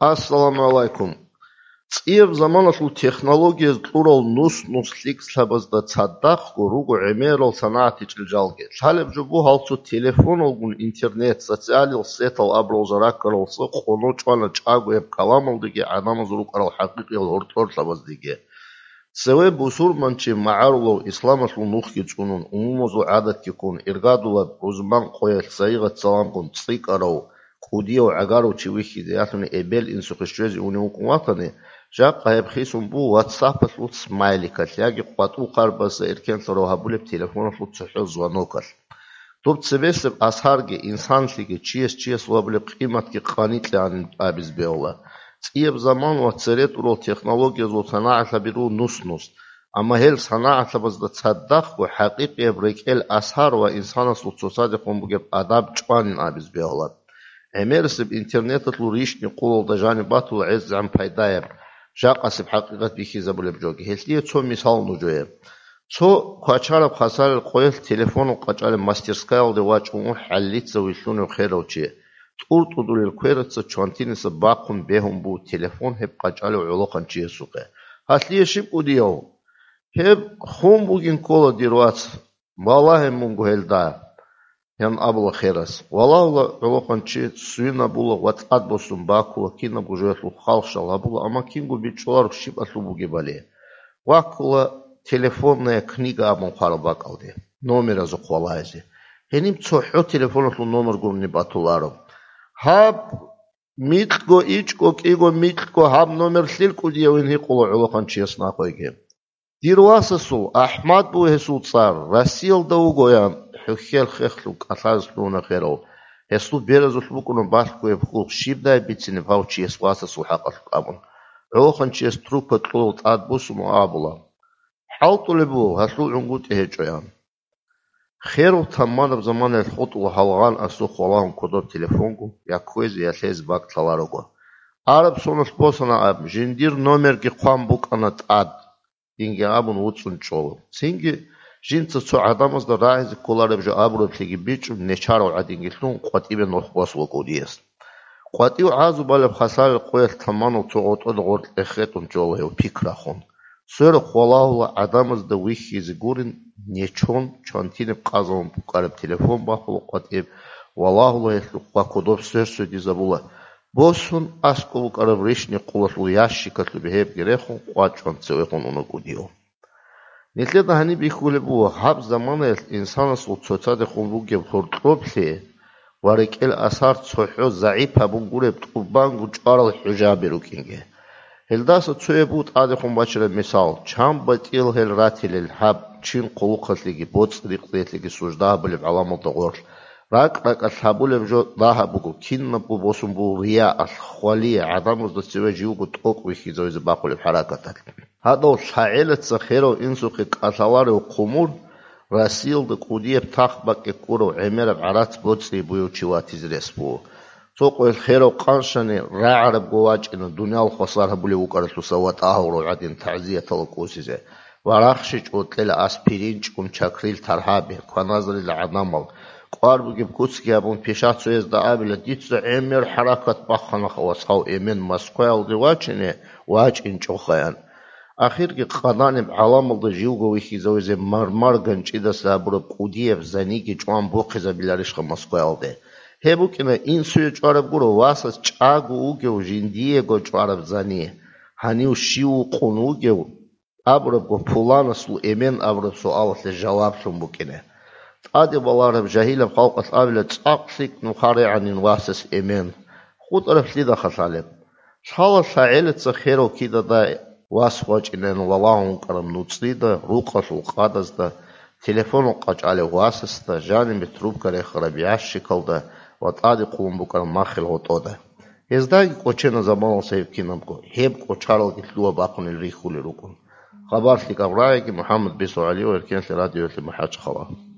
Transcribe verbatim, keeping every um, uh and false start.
Ассаламу гӀалайкум. ЦӀияб заманалъул технологияз кьурал нус-нус лъикӀлъабазда цадахъго руго гӀемерал санагӀат гьечӀел жалги. Лъалеб жо буго гьал цо телефоналгун интернет, социалил сетал абурал жал раккаралса къоно чӀвана чӀагояб каламалдеги гӀадамаз рукӀарал хӀакъикъиял гьоркьорлъабаздеги. Цеве бусурманчи магӀарулав исламалъул нухги цӀунун, умумузул гӀадатги ккун, иргадулаб рузман къоялъ сайигъат саламгун цӀикӀкӀарав, кӀудияв гӀагарав чи вихьизе ялъуни эбел-инсухъе щвезе унев вукӀун ватани, жакъа гьеб хисун буго WhatsApp-алъул смайликалъ яги къватӀул хъарбазда эркенлъарав гьабулеб телефоналъул цохӀо звонокалъ. Доб цебесеб асарги, инсанлъиги, чияс чиясул гьабулеб къиматги къаникьегӀанин абизе бегьула. ЦӀияб заман ва цере тӀурал технологиязул санагӀалъаби руго нус-нус, амма гьел санагӀалъабазда цадахъго хӀакъикъияб рекӀел асар ва инсанасул цоцадехун бугеб адаб чӀванин абизе бегьула. ГӀемерисеб интернеталъул рищни-къулалда жаниб батула гӀезегӀан пайдаяб, жакъасеб хӀакъикъат бихьизабулеб жоги. Гьелъие цо мисал нужее. Цо квачараб хасарил къоялъ телефонал къачӀалеб мастерскаялде вачӀун вуго хӀаллица вилълъунев херав чи. ТӀур-тӀудулел квераца чвантиниса бахъун бегьун буго телефон гьеб къачӀалев гӀолохъанчиясухъе. Гьалъие щиб кӀудияв? Гьеб хун бугин ккола, дир вац, балагье мунго гьелда, ян абула херас. Валагьула гӀолохъанчи, свинабула ва тӀад босун бакула, кинабго жоялъул халхъ-шал гьабула, амма кинго бичӀчӀуларо щибалъул бугебали. Ваккула телефонная книга абун хъвараб бакӀалде, номеразухъ валагьизе. Гьениб цохӀо телефоналъул номер гурони батуларо. Гьаб микьго ичӀго кӀиго микьго гьаб номер лъил кӀудиявин гьикъула гӀолохъанчияс нахъеги. Дир васасул, АхӀмад буго гьесул цӀар, Россиялда вугоян, хӀухьел хехлъун кӀалъазе лъугьуна херав. Гьесул беразулъ букӀуна балъгояб хьул, щибдай бицинеб гьав чияс васасул хӀакъалъулъ абун. ГӀолохъанчияс трубка кьолел тӀад босун ва абула: «ХӀалтӀулеб буго, гьалъул гӀунгутӀи гьечӀоян». Херав таммараб заманаялъ хутӀула гьалгъан асухъ валагьун кодоб телефонгу, я кквезе, я лъезе бакӀ лъаларого. Араб соналъ босана аб, жиндир номерги хъван букӀана тӀад, динги абун вуцӀцӀун чӀола. Цинги жинца цо гӀадамазда рагӀизе кколареб жо абураблъиги бичӀчӀун, нечарав гӀадинги лъун, къватӀибе нух босула кӀудияс. КъватӀив гӀазу балеб хасарил къоялъ таманал цо гъотӀода гъоркь эхетӀун чӀола гьев пикрахун. Сверухъ валагьула гӀадамазда вихьизе гурин, нечон, чвантиниб къазалун букӀараб телефон бахула къватӀиб, валагьула гьелъухъ ва кодоб сверсвердизабула. Босун аскӀоб букӀараб рищни-къулалъул ящикалъубе гьебги рехун, къвачӀван цевехун уна кӀудияв. Нилъеда гьаниб бихьулеб буго, гьаб заманаялъ инсанасул цоцадехун бугеб гьоркьоблъи ва рекӀел асар цохӀо загӀип гьабун гуреб тӀубанго чӀварал хӀужаби рукӀинги. Гьелдаса цояб буго тӀадехун бачараб мисал: чан батӀиял гьел ратилел гьаб чин хъулухъалъеги боцӀи-рикъзиялъеги сужда гьабулеб гӀаламалда гъорлъ. РакӀ-ракӀалъ гьабулеб жо дагьаб буго, кинабго босун буго рияалъ, хвалие, гӀадамазда цеве живго тӀокӀ вихьизавизе бахъулеб хӀаракаталъ. Гьадав лъагӀелаца херав инсухъе кӀалъаларев хъумур, Россиялда кӀудияб тахт бакӀе ккурав гӀемераб гӀарац боцӀи буяв чи ватизе рес буго. Цо къоялъ херав къаншани рагӀарабго вачӀина, дуниял хвасар гьабулев вукӀаралъуса ватӀа гьаврав гӀадин, тагӀзиятала кӀусизе. Ва рахщичӀо кьела аспирин чӀун чакрил таргьаби, кваназарила гӀадамал. КӀвар бугеб куцги гьабун, пишацоязда абила: «Дица гӀемер хӀаракат бахъана, вацгӀав, эмен Москваялде вачине, вачӀинчӀохаян». Ахирги къаданиб гӀаламалда живго вихьизавизе мармар ганчӀидаса гьабураб кӀудияб заниги чӀван бухъизабиларищха Москваялде? Гьеб букӀина инсуе чӀвараб гуро, васас чӀаго вугев жиндиего чӀвараб зани, гьанив щив вукъун вугев абурабго, пуланасул эмен абураб суалалъе жаваблъун букӀине. ТӀаде балараб жагьилаб халкъалъ абила: «ЦӀакъ лъикӀ нухарегӀанин васас эмен». ХутӀараб лъидахъа лъалеб? Лъала лъагӀелица херав кидадай вас вачӀинегӀан валагьун вукӀараб нуцӀрида, рукъалъул къадазда, телефонал къачӀалев васасда, жанибе трубка рехараб ящикалда ва тӀаде хъулун букӀараб маххил гъотӀода. Гьездаги кӀочена заманалъ гьеб кинабго, гьеб кӀочаралги лъугьа-бахъунел рихьулел рукӀун. Хабар лъикӀаб рагӀиги, МухӀаммад Бесо ГӀалиев, Эркенлъи радиоялъе МахӀачхъала.